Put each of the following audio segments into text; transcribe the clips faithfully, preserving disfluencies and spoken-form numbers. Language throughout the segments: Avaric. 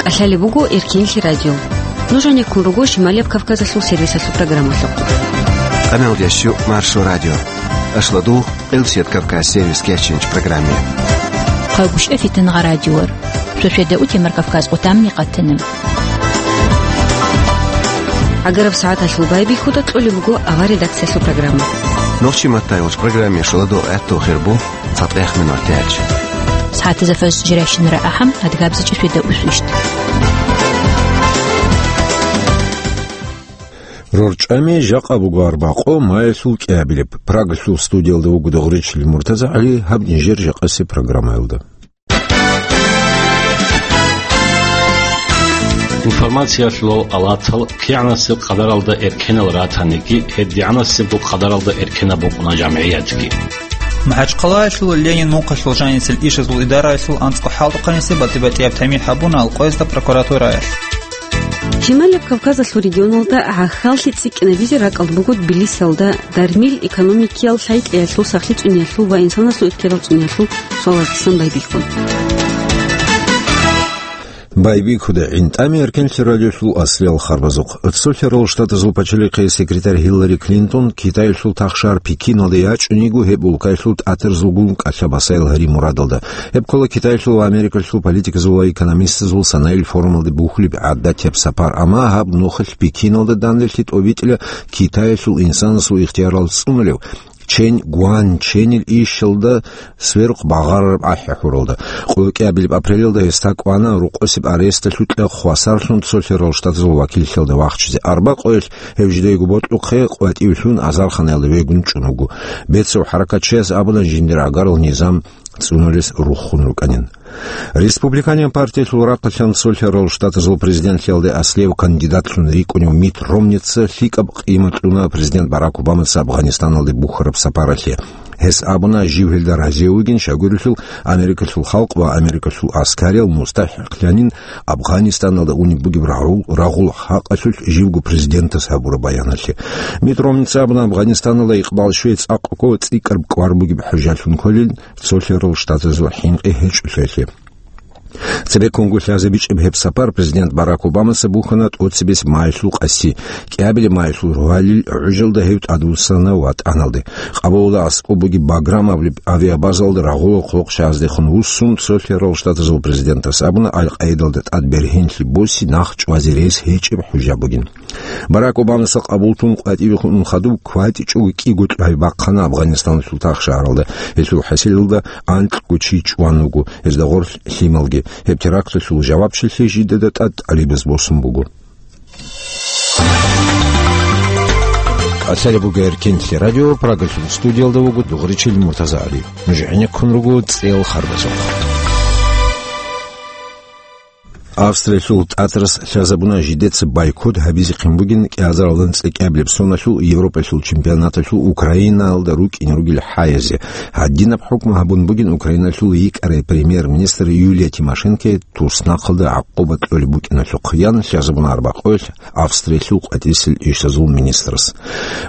КӀалъалеб буго Эркенлъи радио. Нуж гӀенеккун руго Шималияб Кавказалъул сервисалъул программалъухъ. Къамел ящу Маршо радио. Ашладу Къилсият Кавказ сервис кечинч программе. Къагушев Фитнагъа радиор. Шошеда утемар Кавказ къутамни къатана. ГӀагараб сагӀаталъул байбихьуда кьолеб буго авар редакциялъул программа. Нохчи маттайолч программе шоладо гӀатту хирбу. ЦатӀехмин артяч. СагӀатазда фажр жирайщинара ахӀам, адгабзичӀеб шведа усвищт. РорчӀами жакъа буго арбакъо, маялъул кӀиабилеб. Прагалъул студиялда вуго Догъричил МуртазагӀали, гьаб нижер жакъасеб программаялда. Информациялъул алатал кигӀанасеб къадаралда эркенал ратаниги, гьедигӀанасебго къадаралда эркенаб букӀуна жамгӀиятги. МахӀачхъалаялъул Ленин мухъалъул жанисел ишазул идараялъул анцӀго хӀалтӀухъанисе батӀи-батӀияб тамихӀ гьабуна Алкъоязда прокуратураялъ. Шималияб Кавказалъул регионалда гӀахьаллъи цӀикӀкӀинабизе ракӀалда буго Тбилисиялда дармил экономикиял лъай-кьеялъул, сахлъи цӀуниялъул ва инсанасул ихтияр цӀуниялъул суалаздасан байбихьун. Байбихьуда гӀинтӀами Эркенлъи радиолъул аслиял харбазухъ. Цолъарал Штатазул пачалихъе секретарь Хиллари Клинтон Китаялъул тахшар Пекиналде ячӀун йиго гьеб улкаялъул тӀатарзулгун кӀалъа-басаял гьари мурадалда. Гьеб ккола Китаялъул ва Америкалъул политиказул ва экономистазул санаил форумалде бухьулеб гӀадатияб сапар, амма гьаб нухалъ Пекиналда данделъи тӀобитӀила Китаялъул инсанасул ихтиярал цӀунулев Чен Гуанченил ишалда сверухъ багъарараб ахӀи-хӀуралда. Къо кӀиабилеб апрелалда гьесда кӀвана рукъосеб аресталъукьа хвасарлъун цолъарал штатазул вакиллъиялда вахчизе. Арба къоялъ гьев жидейго бокьухъе къватӀивлъун азарханаялда вегун чӀун вуго. Бецав хӀаракатчияс абуна жиндир гӀагарал низам цӀунулес руххун рукӀанин. Республиканияб партиялъул рахъалъан цолъарал штатазул президентлъиялде аслияв кандидатлъун рикӀкӀунев Митт Ромница лъикӀаб къимат кьуна президент Барак Обамаца Афганистаналде бухьараб сапаралъе. Гьес абуна, жив гьелда разияв вугин, щайгурелъул Америкалъул халкъ ва Америкалъул аскариял мустахӀикълъанин Афганистаналда унеб бугеб рагъул, рагъул хӀакъалъулъ живго президентас гьабураб баяналъе. Митт Ромница абуна, Афганистаналда икъбал щвей цӀакъго цӀикӀкӀараб кӀвар бугеб хӀужалъун кколин, цолъарал штатазул хӀинкъи гьечӀолъиялъе. Цебеккунго лъазе бичӀеб гьеб сапар президент Барак Обамаца бухьана тӀоцебесеб майилъул къаси. КӀиабилеб майилъул рогьалил гӀужалда гьев тӀадвуссана ВатӀаналде. Къабулалда аскӀоб бугеб Баграм абулеб авиабазалда рагъула хъулухъ щаздехун вуссун, цолъарал штатазул президентас абуна, Аль-Къаидалда тӀад бергьенлъи боси нах чӀвазе рес гьечӀеб хӀужа бугин. Барак Обамаса къабуллъун къватӀиве хутӀун хадуб кватӀичӀого кӀиго кьвай бахъана Афганистаналъул тахшагьаралда. Гьелъул хӀасилалда анкьго чи чӀван вуго, гьезда гъорлъ лъималги. Гьеб теракталъул жавабчилъи жидеда тӀад тӀалибаз босун буго. КӀалъалеб буго Эркенлъи радио, Прагалъул студиялда вуго Дугъричил МуртазагӀали. Нуж гӀенеккун руго цӀел харбазухъ. Австриялъул тӀатарас лъазабуна жидеца бойкот гьабизехъин бугин кӀиазаралдан цӀикӀкӀабилеб соналъул Европалъул чемпионаталъул Украинаялда рукӀине ругел хӀаязе. Гьадинаб хӀукму гьабун бугин Украиналъул йикӀарай премьер-министр Юлия Тимошенкое туснахъалда гӀакъуба кьолеб букӀиналъухъ, ян лъазабуна арбакъоялъ Австриялъул къватӀисел ишазул министрас.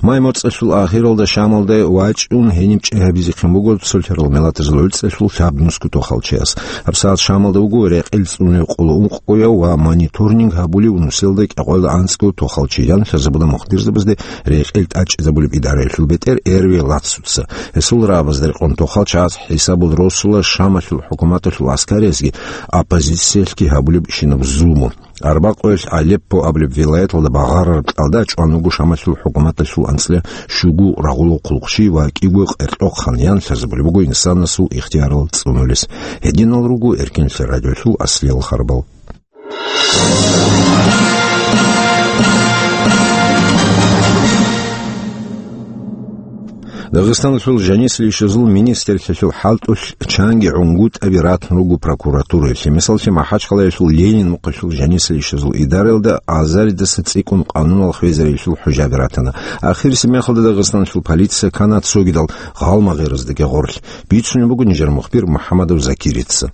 Май моцӀалъул ахиралда Шамалда вачӀун гьениб чӀей гьабизехъин буго цолъарал миллатазул гӀуцӀалъул лъабнусго тохалчияс. ГьабсагӀат Шамалда вуго рекъел цӀунулев къоло ункъояв ва мониторинг гьабулев нусиялда кӀикъоялда анцӀго тохалчи, ян лъазабуна мухбирзабазде рекъел тӀачӀизабулеб идараялъул бетӀер Эрви Лацуца. Гьесул рагӀабазда рекъон тохалчагӀаз хӀисабул росула Шамалъул хӀукуматалъул аскариязги оппозициялъги гьабулеб щинаб зулму. Арбакъоялъ Алеппо абулеб вилаяталда багъарараб кьалда чӀван вуго Шамалъул хӀукуматалъул анцӀила щуго рагъула хъулухъчи ва кӀиго къеркьохъан, ян лъазабулеб буго инсанасул ихтиярал цӀунулес. Гьединал руго Эркенлъи радиолъул аслиял харбал. Дагъистаналъул жанисел ишазул министрлъиялъул хӀалтӀулъ чанги гӀунгутӀаби ратун руго прокуратураялъе. Мисаллъи, МахӀачхъалаялъул Ленин мухъалъул жанисел ишазул идараялда азаридаса цӀикӀкӀун къанунал хвезариялъул хӀужаби ратана. Ахирисеб мехалда Дагъистаналъул полиция ккана цогидал гъалмагъираздаги гъорлъ. Бицунеб буго нижер мухбир МухӀамадов Закирица.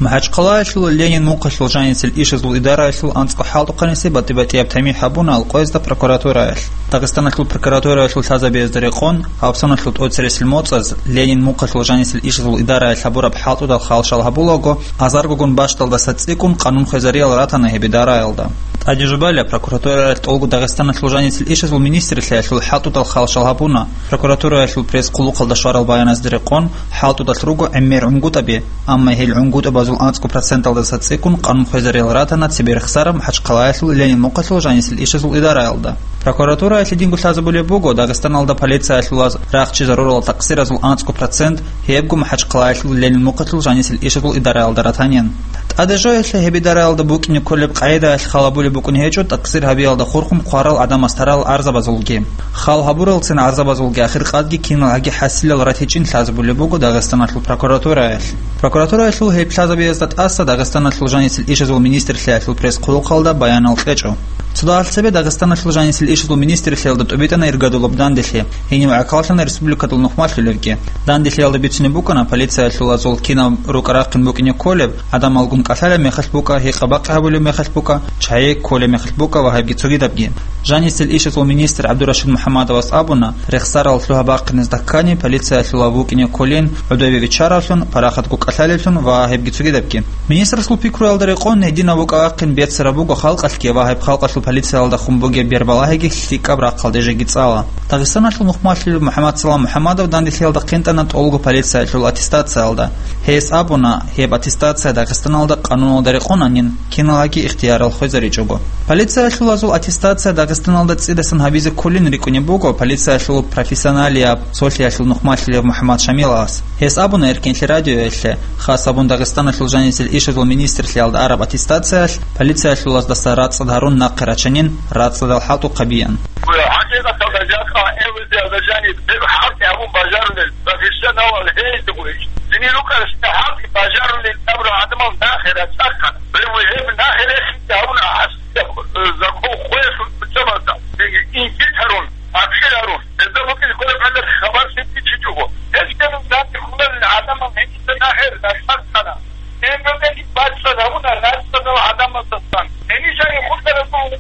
МахӀачхъалаялъул Ленин мухъалъул жанисел ишазул идараялъул анцӀго хӀалтӀухъанисе батӀи-батӀияб тамихӀ гьабуна Алкъоязда прокуратураялъ. Дагъистаналъул прокуратураялъул лъазабиязда рекъон, гьабсаналъул тӀоцересел моцӀаз Ленин мухъалъул жанисел ишазул идараялъ гьабураб хӀалтӀудал халшал гьабулаго, азаргогун бащдалдаса цӀикӀкӀун къанун хвезариял ратана гьеб идараялда. ТӀаде жубалеб, прокуратураялъ тӀолго Дагъистаналъул жанисел ишазул министрлъиялъул хӀалтӀудал халшал гьабуна. Прокуратураялъул пресс-хъулухъалда щварал баяназде рекъон, хӀалтӀудалъ руго гӀемер гӀунгутӀаби, амма гьел гӀунгутӀабазул анцӀго проценталдаса цӀикӀкӀун къанун хвезариял ратана цебе рехсараб МахӀачхъалаялъул Ленин мухъалъул жанисел ишазул идараялда. Прокуратураялъ гьединго лъазабулеб буго Дагъистаналда полициялъулаз рахчи зарурал такъсиразул анцӀго процент гьебго МахӀачхъалаялъул Ленин мухъалъул жанисел ишазул идараялда ратанин. ТӀаде жоялъе гьеб идараялда букӀине кколеб къагӀидаялъ хал гьабулеб букӀун гьечӀо такъсир гьабиялда хурхун хъварал гӀадамаз тарал гӀарзабазулги. Хал гьабуралцин гӀарзабазулги ахиркъадги киналгӀаги хӀасилал ратичӀин лъазабулеб буго Дагъистаналъул прокуратураялъ. Прокуратураялъул гьеб лъазабиязда тӀаса Дагъистаналъул жанисел ишазул министрлъиялъул пресс-хъулухъалда баянал кьечӀо. Цо дагьал цебе Дагъистаналъул жанисел ишазул министрлъиялда тӀубитӀана иргадулаб данделъи, гьенив гӀахьаллъана республикадул нухмалъулевги. Данделъиялда бицунеб букӀана, полициялъулазул кинаб рукӀа-рахъин букӀине кколеб, гӀадамалгун кӀалъалеб мехалъ букӀа, гьикъа-бакъи гьабулеб мехалъ букӀа, чагӀи кколеб мехалъ букӀа ва гьебги цогидабги. Жанисел ишазул министр ГӀабдурашид МухӀаммадовас абуна, рехсарал лъугьа-бахъиназда ккани, полициялъула букӀине кколин гӀодове виччаравлъун, парахатго кӀалъалевлъун ва гьебги цогидабги. Министрасул пикруялда рекъон, гьединав вукӀа-вахъин беццараб буго халкъалъги ва гьеб халкъалъул полициялда хун бугеб бербалагьиги лъикӀаб рахъалде жеги цӀала. Дагъистаналъул нухмалъулев МухӀаммадсалам МухӀаммадов данделъиялда хъинтӀана тӀолго полициялъул аттестациялда. Гьес абуна, гьеб аттестация Дагъистаналда къануналда рекъонанин, киналгӀаги ихтиярал хвезаричӀого. Полициялъулазул аттестация Дагъистаналда цӀидасан гьабизе кколин рикӀкӀунеб буго полициялъул профессионалияб цолъиялъул нухмалъулев МухӀаммад Шамилас. Гьес абуна Эркенлъи радиоялъе, хас абун Дагъистаналъул жанисел ишазул министрлъиялда араб аттестациялъ полициялъулаздаса рацӀцӀад гьарун нахъе рачанин, рацӀцӀадал хӀалтӀухъабиян. ХӀакъикъаталда жакъа эвлъиялда жаниб гьеб хӀалтӀи гьабун бажарулел профессионалал гьейзе гурищ. Цинги рукӀарщина хӀалтӀи бажарулел абурал гӀадамал нахъе рацӀцӀахъана. Гьеб, гьеб нахъе рехизе гьабуна гьас, э, закон хвеялъул куцабазда. Цинги инкит гьарун, абшир гьарун. Гьезда букӀине кколеб гӀелаб хабар лъикӀ бичичӀого. Гьелъ гьеб данде хьуларел гӀадамал гьениса нахъе рацӀцӀахъана. Гьеб гьебги бацӀцӀад гьабуна рацӀцӀадал гӀадамаздасан. Гьениса хутӀараб буго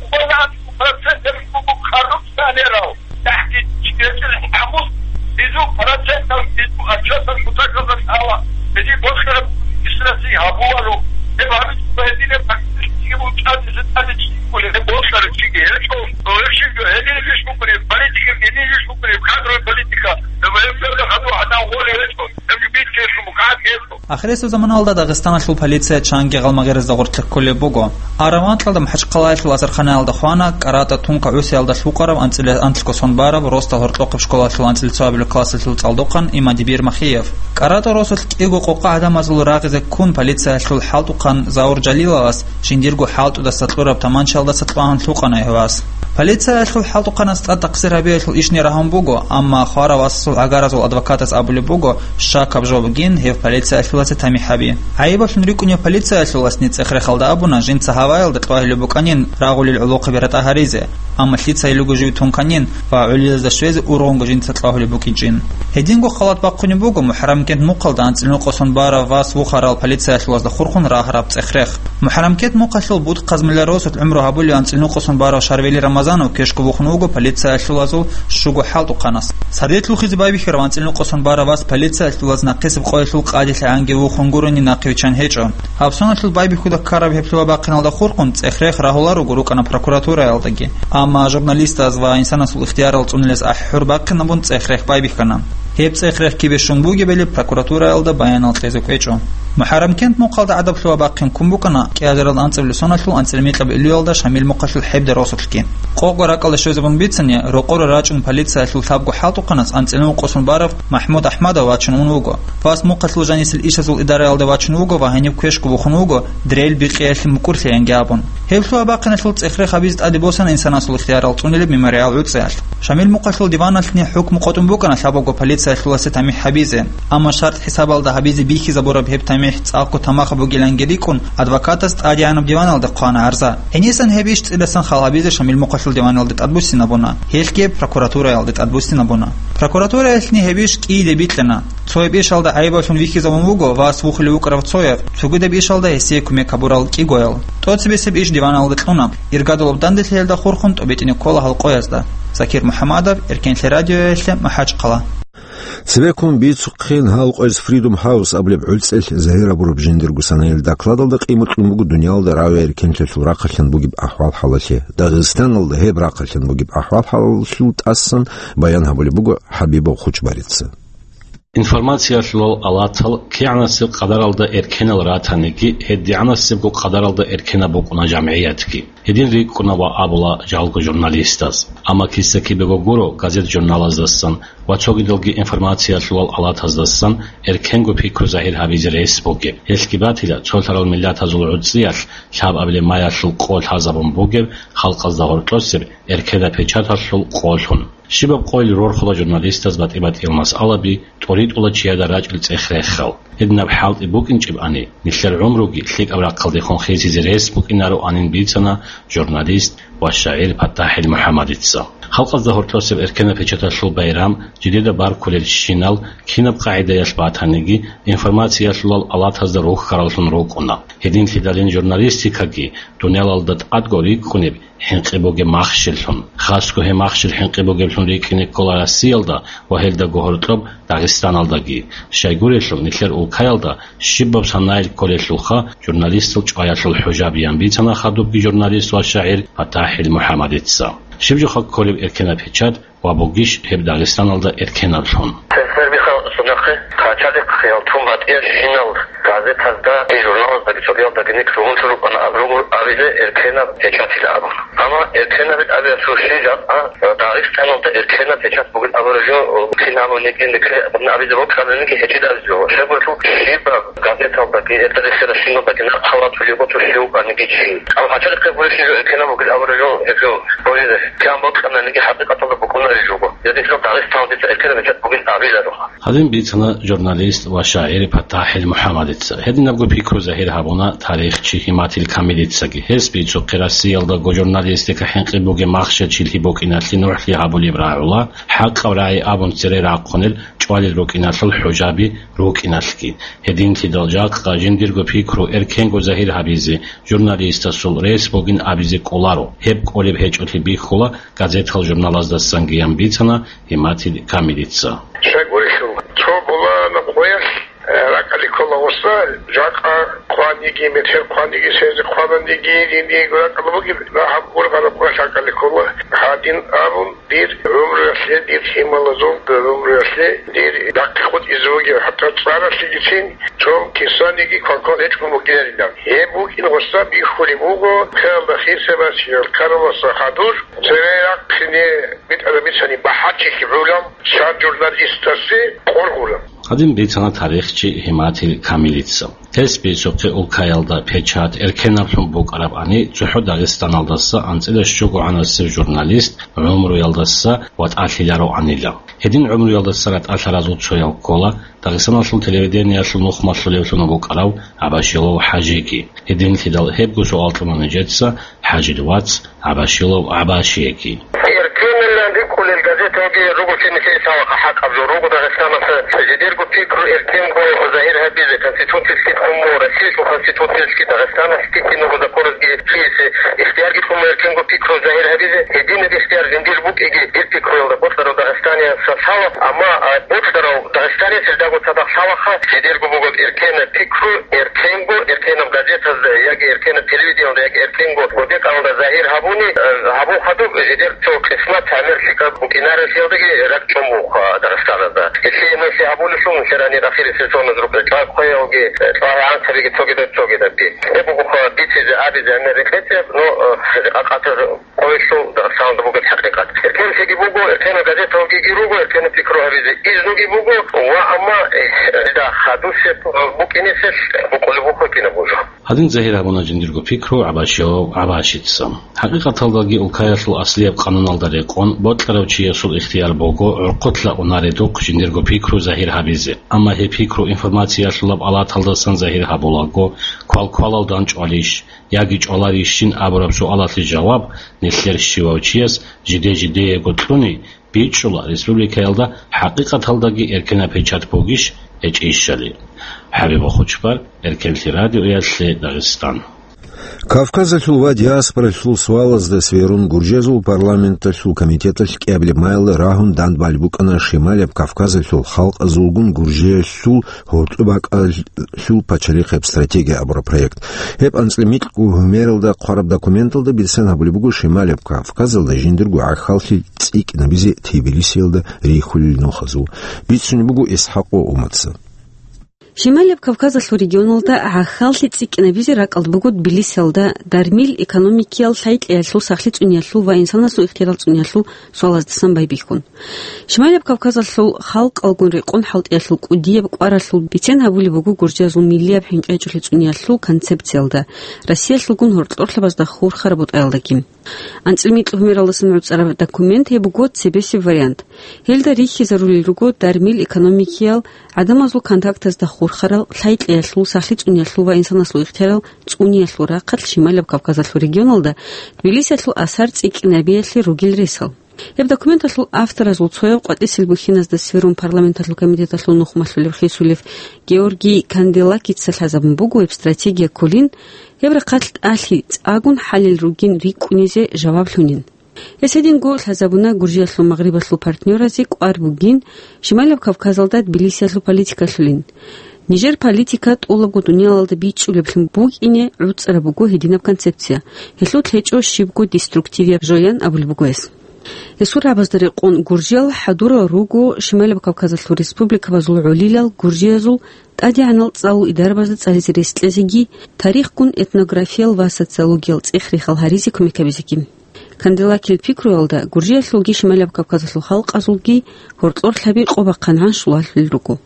процент гьеб буго коррупционерал. ТахӀдид гьечӀел хӀамус, гьезул процентал гьезул отчетал кутакалда лъала. Гьезие бокьараб исраси гьабуларо. Гьеб гьабичӀого гьединаб фактически бучӀанизе тӀаде чӀикӀкӀулеб, гьеб бокьарав чиги гьечӀо. Гьеб щибго гьединаб иш букӀунеб, политика гьединаб иш букӀунеб, кадровый политика. Гьеб гьеб гьеб хадур гӀадан гъолеб гьечӀо. Гьеб битӀкӀелъул мукъадги гьечӀо. Ахирисеб заманалда Дагъистаналъул полиция чанги гъалмагъиразда гъоркье кколеб буго. Араб анкьалда МахӀачхъалаялъул азарханаялда хвана КӀаратӀа тунка гӀусиялда лъукъараб анцӀила анлъго сон бараб росдал гьоркьохъеб школалъул анцӀила цоабилеб классалъул цӀалдохъан Имадибир Махиев. КӀаратӀа росулъ кӀиго къокъа гӀадамазул рагъизе ккун полициялъул хӀалтӀухъан Заур Жалиловас жиндирго хӀалтӀудаса кьураб таманчаялдаса кьвагьун лъукъана гьев вас. Полициялъул хӀалтӀухъанас тӀад такъсир гьабиялъул ишни рагьун буго, амма хварав васасул гӀагаразул адвокатас абулеб буго, щакаб жо бугин гьев полициялъулазе тамихӀ гьаби. ГӀайибалъун рикӀкӀунев полициялъуласни цӀех-рехалда абуна жинца гьаваялда кьвагьулеб букӀанин рагъулел гӀолохъаби ратӀа гьаризе, амма лъица гьелуго жив тунканин ва гӀолилазда щвезе ургъунго жинца кьвагьулеб букӀинчӀин. Гьединго халат бахъунеб буго МухӀаррамкент мухъалда анцӀила нукъасан барав вас вухарал полициялъулазда хурхун рагьараб цӀех-рех. МухӀаррамкент мухъалъул Бутхъ-Казмилла росулъ гӀумру гьабулев анцӀила нукъасан барав Шарвели Рамазанов квешго вухун вуго полициялъулазул щуго хӀалтӀухъанас. Сардилъухъизе байбихьарав анцӀила нукъасан барав вас полициялъулаз нахъисеб къоялъул къадилъи гӀанги вухун гурони нахъе виччан гьечӀо. Гьабсаналъул байбихьуда ккараб гьеб лъугьа-бахъиналда хурхун цӀех-рех рагьуларуго рукӀана прокуратураялдаги. Амма журналистаз ва инсанасул ихтиярал цӀунулез ахӀи-хӀур бахъинабун цӀех-рех байбихьана. Гьеб цӀех-рех кибе щун бугебали прокуратураялда баянал кьезе кӀвечӀо. МухӀаррамкент мухъалда гӀадаб лъугьа-бахъин ккун букӀана кӀиазарал анцӀабилеб соналъул анцӀила микьабилеб июлалда Шамил мухъалъул хӀеб даросулъги. Къокъго ракӀалда щвезабун бицани, рокъоре рачӀун полициялъул лъабго хӀалтӀухъанас анцӀила нукъасан барав МахӀмуд АхӀмадов вачун ун вуго. Вас мухъалъул жанисел ишазул идараялде вачун вуго ва гьениб квешго вухун вуго, дрель бикъиялъе мукӀурлъиянги абун. Гьеб лъугьа-бахъиналъул цӀех-рех гьабизе тӀаде босана инсанасул ихтиярал цӀунулеб мемориал гӀуцӀиялъ. Шамил мухъалъул диваналъни хӀукму къотӀун букӀана лъабабго полиция Сахлуласе тамихӀ гьабизе. Амма шартӀ хӀисабалда гьабизе бихьизабураб гьеб тамихӀ цӀакъго тамахаб бугиланги рикӀкӀун, адвокатас тӀадегӀанаб диваналде хъвана гӀарза. Гьенисан гьеб иш цӀидасан хал гьабизе Шамил мухъалъул диваналде тӀадбуссинабуна, гьелъги прокуратураялде тӀадбуссинабуна. Прокуратураялъни гьеб иш кӀийде бикьана. Цояб ишалда гӀайибалъун вихьизабун вуго вас вухулев вукӀарав цояв, цогидаб ишалда гьесие кумек гьабурал кӀигоял. ТӀоцебесеб иш диваналде кьуна. Иргадулаб данделъиялда хурхун тӀобитӀине ккола гьал къоязда. Закир МухӀамадов, Эркенлъи радиоялъе, МахӀачхъала. Цебеккун бицухъин гьал къояз Freedom House абулеб гӀуцӀелъ загьир гьабураб жиндирго санаялъ докладалда къимат кьун буго дуниялда рагӀи эркенлъиялъул рахъалъан бугеб ахӀвал-хӀалалъе, Дагъистаналда гьеб рахъалъан бугеб ахӀвал-хӀалалъул тӀасан баян гьабулеб буго ХӀабибов Хучбарица. Информациялъулал алатал кигӀанасеб къадаралда эркенал ратаниги, гьедигӀанасебго къадаралда эркенаб букӀуна жамгӀиятги. Гьедин рикӀкӀуна ва абула жалго журналистаз. Амма киса-кибего гуро газет-журналаздасан ва цогидалги информациялъулал алатаздасан эркенго пикру загьир гьабизе рес бугеб. Гьелъги батила, цолъарал миллатазул гӀуцӀиялъ лъабабилеб маялъул къо лъазабун бугеб халкъазда гьоркьосеб эркенаб печаталъул къолъун. Щибаб къойил рорхула журналистаз батӀи-батӀиял масъалаби, тӀоритӀула чияда рачӀил цӀех-рехал. Гьединаб хӀалтӀи букӀинчӀебани, нилъер гӀумруги лъикӀаб рахъалдехун хисизе рес букӀинароанин бицана журналист ва шагӀир ПатахӀил МухӀаммадица. Халкъазда гьоркьосеб эркенаб печаталъул байрам жидеда баркулелщинал кинаб къагӀидаялъ батаниги, информациялъулал алатазда рухьараллъун рукӀуна. Гьединлъидалин журналистикаги дуниялалда тӀадго рикӀкӀунеб хӀинкъи бугеб махщеллъун. Хасго гьеб махщел хӀинкъи бугеблъун рикӀкӀине ккола Россиялда ва гьелдаго гьоркьоб Дагъистаналдаги. Щайгурелъул, нилъер улкаялда щибаб санайил кколелъулха журналистал чӀваялъул хӀужабиян бицана хадубги журналист ва шагӀир ПатахӀил МухӀаммадица. Щиб жоха кколеб эркенаб печат ва бугищ гьеб Дагъистаналда эркенаблъун? Сесер бихъал сунахъе, къачалихъ хъиял тун батӀиялъинал газетазда, журналаздаги цогиялдаги никлъугьунлъун рукӀана абругъур абизе эркенаб печатила абун. Амма эркенабил абиялъул щиб жакъа Дагъистаналда эркенаб печат бугин абураб жо, кин абуниги никлъе абизе бокьананиги гьечӀин абизе жо. Щайгурелъул щибаб газеталдаги, эртарихъе рашиналдаги нахъ халатулеб боцӀулъи вукӀаниги чи. Амма гьачалихъе гурищ жо эркенаб бугин абураб жо, гьеб жо, гьеб жо. КигӀан бокьананиги хӀакъикъаталда букӀунарел жуго. Гьединлъидал Дагъистаналда дица эркенаб печат бугин абиларо. Гьадин бицана журналист ва шагӀир ПатахӀил МухӀаммадица. Гьединабго пикру загьир гьабуна тарихчи Гьиматил Камилицаги. Гьес бицухъе Россиялдаго журналистика хӀинкъи бугеб махщел чилъи букӀиналъе нугӀлъи гьабулеб рагӀула, хӀакъаб рагӀи абун цере рахъунел чӀвалел рукӀиналъул хӀужаби рукӀиналъги. Гьединлъидал жакъа жиндирго пикру эркенго загьир гьабизе, журналистасул рес бугин абизе кӀоларо. Гьеб кӀолеб гьечӀолъи бихьула газетал-журналаздасанги, ян бицана Гьиматил Камилица. Щайгурелъул, цо булана къоялъ, э, ракӀалде ккола гъоса, жакъа хъваниги, метер хъваниги, сензе хъвананиги, диниги ракӀалда бугеб, гьаб ургъараб къоялъ ракӀалде ккола. Гьадин абун, дир гӀумруялъе, дир лъималазул гӀумруялъе, дир дагьаб къотӀизе бугеб, хӀатта цӀаралъигицин, цо кисаниги квалквал гьечӀого бугинарилан. Гьеб букӀин гъоса бихьулеб буго, ккелда хисабас, караласа хадур, цере рахъине битӀараб бицани бахӀарчилъи гӀолам, щай журналистасе къоргъура. Гьадин бицана тарихчи Гьиматил Камилица. Гьес бицухъе улкаялда печат эркенаблъун букӀарабани, цохӀо Дагъистаналдаса анцӀила щугогӀанасев журналист гӀумруялдаса ватӀалъилароанила. Гьедин гӀумруялдаса ратӀалъаразул цояв ккола Дагъистаналъул телевидениялъул нухмалъулевлъун вукӀарав ГӀабашилов ХӀажиги. Гьединлъидал гьебго суал кьуна нижеца ХӀажил вац ГӀабашилов ГӀабашиеги. Эркенилан рикӀкӀунел газеталги руго чи нилъее лъалаха хӀакъаб жо, руго Дагъистаналъ жидерго пикру эркенго загьир гьабизе, конституциялъги кьун буго, Россиялъул конституциялъги, Дагъистаналъги кинабго законазги чиясе ихтиярги кьун буго эркенго пикру загьир гьабизе. Гьединаб ихтияр жиндир букӀиги, дир пикруялда бокьарав дагъистаниясда лъала, амма, а, бокьарав дагъистаниясда цадахъ лъалаха, жидерго бугеб эркенаб пикру, эркенго, эркенаб газетазда яги эркенаб телевидениялда яги эркенго гъоде-къаналда загьир гьабуни, э, гьабун хадуб, жидер цо къисмат гӀемер лъикӀаб букӀинарелъиялдаги ракӀчӀун бугоха Дагъистаназда. Гьелъие нилъ гьабулелъул нилъер гьанир ахирисезул зун рукъе чӀвай хъвеялги, э, чӀвай анцӀабиги цогидаб-цогидаби. Гьеб бугоха бицизе абизе гӀемер рекъечӀеб, но, э, къакъатар къойилъул Дагъистаналда бугеб хӀакъикъат. Эркенлъиги буго, эркенаб газеталги руго, эркенаб пикру гьабизе изнуги буго, ва амма, э, да, хадусеб букӀинеселъ букӀулеб бухъе кинабго жо. Гьадин загьир гьабуна жиндирго пикру ГӀабашияв ГӀабашица. ХӀакъикъаталдаги улкаялъул аслияб къануналда рекъон бокьарав чиясул ихтияр буго гӀурхъулъа унаредухъ жиндирго пикру загьир гьабизе. Амма гьеб пикру информациялъулаб алаталдасан загьир гьабулаго, квалквалал дандчӀвалищ яги чӀваларищин абураб суалалъе жаваб нилъер щивав чияс жиде-жидеего кьуни, бичӀчӀула республикаялда хӀакъикъаталдаги эркенаб печать бугищ, гьечӀищали. ХӀабиб Хучбар, Эркенлъи радиоялъе Дагъистан. Кавказалъул ва диаспоралъул суалазда сверун, гуржиязул парламенталъул комитеталъ кӀиабилеб майилда рагьун дандбалеб букӀана Шималияб Кавказалъул халкъазулгун Гуржиялъул гьоркьоб бакӀалъул пачалихъияб стратегия абураб проект. Гьеб анцӀила микьго гьумералда хъвараб документалда бицен гьабулеб буго Шималияб Кавказалда жиндирго гӀахьаллъи цӀикӀкӀинабизе Тбилисиялда рихьулел нухазул. Бицунеб буго ИсхӀакъов Уматца. Шималияб Кавказалъул регионалда гӀахьаллъи цӀикӀкӀинабизе ракӀалда буго Тбилисиялда дармил экономикиял, лъай-кьеялъул, сахлъи цӀуниялъул ва инсанасул ихтияр цӀуниялъул суалаздасан байбихьун. Шималияб Кавказалъул халкъалгун рекъон хӀалтӀиялъул кӀудияб кӀваралъул бицен гьабулеб буго гуржиязул миллияб хӀинкъи гьечӀолъи цӀуниялъул концепциялда, Россиялъулгун гьоркьорлъабазда хурхараб бутӀаялдагин. АнцӀила микьго гьумералдасан гӀуцӀараб документ гьеб буго цебесеб вариант. Гьелда рихьизарулел руго дармил экономикиял, гӀадамазул контактазда хурхарал, лъай-кьеялъул, сахлъи цӀуниялъул ва инсанасул ихтиярал цӀуниялъул рахъалъ Шималияб Кавказалъул регионалда Тбилисиялъул асар цӀикӀкӀинабиялъе ругел ресал. Гьеб документалъул авторазул цояв къватӀисел бухьиназда сверун парламенталъул комитеталъул нухмалъулев хисулев Георгий Канделакица лъазабун буго гьеб стратегия кколин, гьеб рахъалъ тӀалъи цӀагун хӀалел ругин рикӀкӀунизе жаваблъунин. Гьес гьединго лъазабуна Гуржиялъул магърибалъул партнёразе кӀвар бугин, Шималияб Кавказалда Тбилисиялъул политикалъулин. Нижер политика тӀолабго дуниялалда бичӀчӀулеблъун букӀине гӀуцӀараб буго гьединаб концепция. Гьелъул лъечӀо щибго деструктивияб жоян абулеб буго гьес. Гьесул рагӀабазда рекъон гуржиял хӀадурал руго Шималияб Кавказалъул республикабазул гӀолилал гуржиязул тӀадегӀанал цӀалул идарабазда цӀализе рес кьезеги, тарихгун, этнографиял ва социологиял цӀех-рехал гьаризе кумек гьабизеги. Канделакил пикруялда, Гуржиялъулги Шималияб Кавказалъул халкъазулги гьоркьорлъаби къо бахъан гӀаншулалъул руго.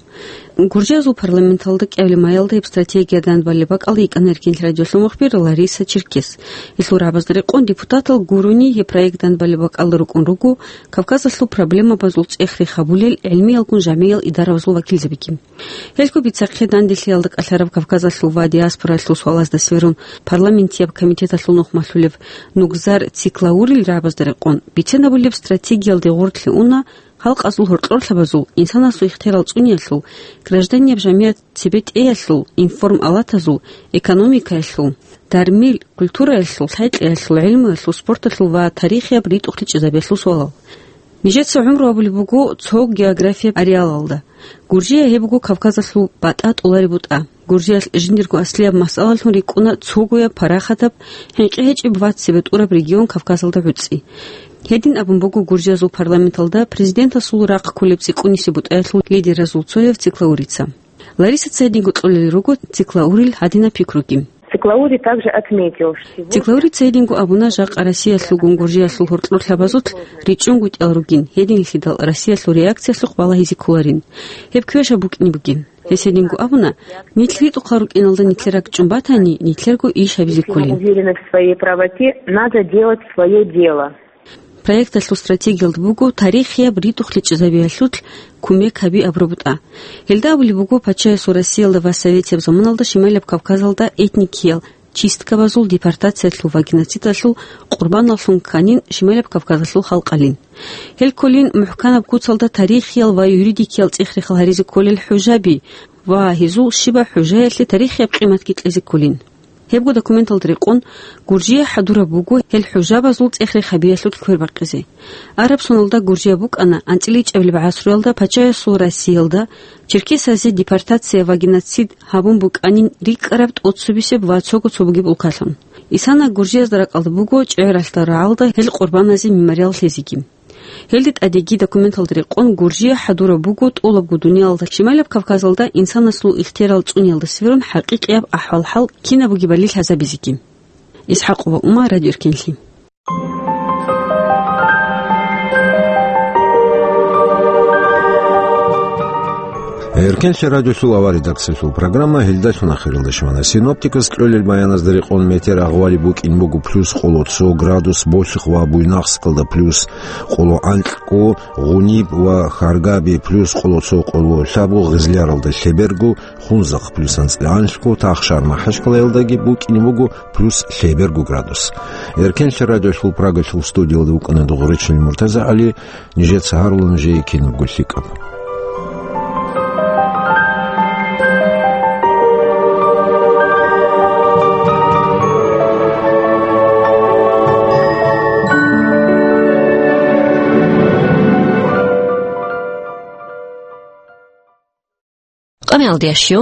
Гуржиязул парламенталда кӀиабилеб майилда гьеб стратегия дандбалеб бакӀалда йикӀана Эркенлъи радиолъул мухбир Лариса Черкес. Гьелъул рагӀабазда рекъон депутатал гурони гьеб проект дандбалеб бакӀалда рукӀун руго Кавказалъул проблемабазул цӀех-рех гьабулел гӀилмиялгун жамгӀиял идарабазул вакилзабиги. Гьелъго бицахъе данделъиялда кӀалъараб Кавказалъул ва диаспоралъул суалазда сверун парламентияб комитеталъул нухмалъулев Нугзар Циклаурил рагӀабазда рекъон, бицен гьабулеб стратегиялде гъорлъе уна халкъазул гьоркьорлъабазул, инсанасул ихтиярал цӀуниялъул, гражданияб жамгӀият цебетӀеялъул, информ-алатазул, экономикаялъул, дармил, культураялъул, лъай-кьеялъул, гӀилмуялъул, спорталъул ва тарихияб ритӀухълъи чӀезабиялъул суалал. Нижеца гӀумру гьабулеб буго цо географияб ареалалда. Гуржия гьеб буго Кавказалъул батӀа тӀолареб бутӀа. Гуржиялъ жиндирго аслияб масъалалъун рикӀкӀуна цогояб парахатаб, хӀинкъи гьечӀеб ва цебетӀураб регион Кавказалда гӀуцӀи. Гьедин абун буго Гуржиязул парламенталда президентасул рахъ кколеб цӀикӀкӀунисеб бутӀаялъул лидеразул цояв Циклаурица. Ларисаца гьединго кьолел руго Циклаурил гьадинаб пикруги. Циклаури также отметил, что Циклаурица гьединго абуна, жакъа Россиялъулгун Гуржиялъул гьоркьорлъабазулъ ричӀчӀунгутӀиялъул ругин, гьединлъидал Россиялъул реакциялъухъ балагьизе кколарин. Гьеб квешаб букӀине бугин. Гьес гьединго абуна, нилъ ритӀухъал рукӀиналда нилъер ракӀчӀун батани, нилъерго иш гьабизе кколин. Уверенность в своей правоте, надо делать свое дело. Проекталъул стратегиялда буго тарихияб ритӀухълъи чӀезабиялъулъ кумек гьаби абураб бутӀа. Гьелда абулеб буго, пачаясул Россиялда ва советияб заманалда Шималияб Кавказалда этникиял чисткабазул, депортациялъул ва геноцидалъул къурбаналлъун кканин Шималияб Кавказалъул халкъалин. Гьел кколин мухӀканаб куцалда тарихиял ва юридикиял цӀех-рехал гьаризе кколел хӀужаби ва гьезул щибаб хӀужаялъе тарихияб къиматги кьезе кколин. Гьебго документалда рекъон, Гуржия хӀадураб буго гьел хӀужабазул цӀех-рех гьабиялъулъ квербакъизе. Араб соналда Гуржия букӀана анцӀила ичӀабилеб гӀасруялда пачаясул Россиялда черкесазе депортация ва геноцид гьабун букӀанин рикӀкӀараб тӀоцебесеб ва цого цо бугеб улкалъун. Исана Гуржиязда ракӀалда буго ЧӀегӀералда рагӀалда гьел къурбаназе мемориал лъезеги. Гьелде тӀадеги документалда рекъон, Гуржия хӀадураб буго тӀолабго дуниялалда Шималияб Кавказалда инсанасул ихтиярал цӀуниялда сверун хӀакъикъияб ахӀвал-хӀал кинаб бугебали лъазабизеги. ИсхӀакъова Ума, Радио Эркенлъи. Эркенлъи радиолъул авар редакциялъул программа гьелдалъун ахиралде щвана. Синоптикас кьолел баяназда рекъон метеор агъвали букӀин буго плюс къоло цо градус Болъихъ ва Буйнакскалда, плюс къоло анкьго Гъуниб ва Харгаби, плюс къоло цо къоло лъабго Гъизляралда, лъеберго Хунзахъ плюс анцӀила анлъго, Тахшар МахӀачкъалаялдаги букӀин буго плюс лъеберго градус. Эркенлъи радиолъул Прагалъул студиялда вукӀана Дугъричил МуртазагӀали. Нижеца гьарула нужее кинабго лъикӀаб. Къамиялдиящив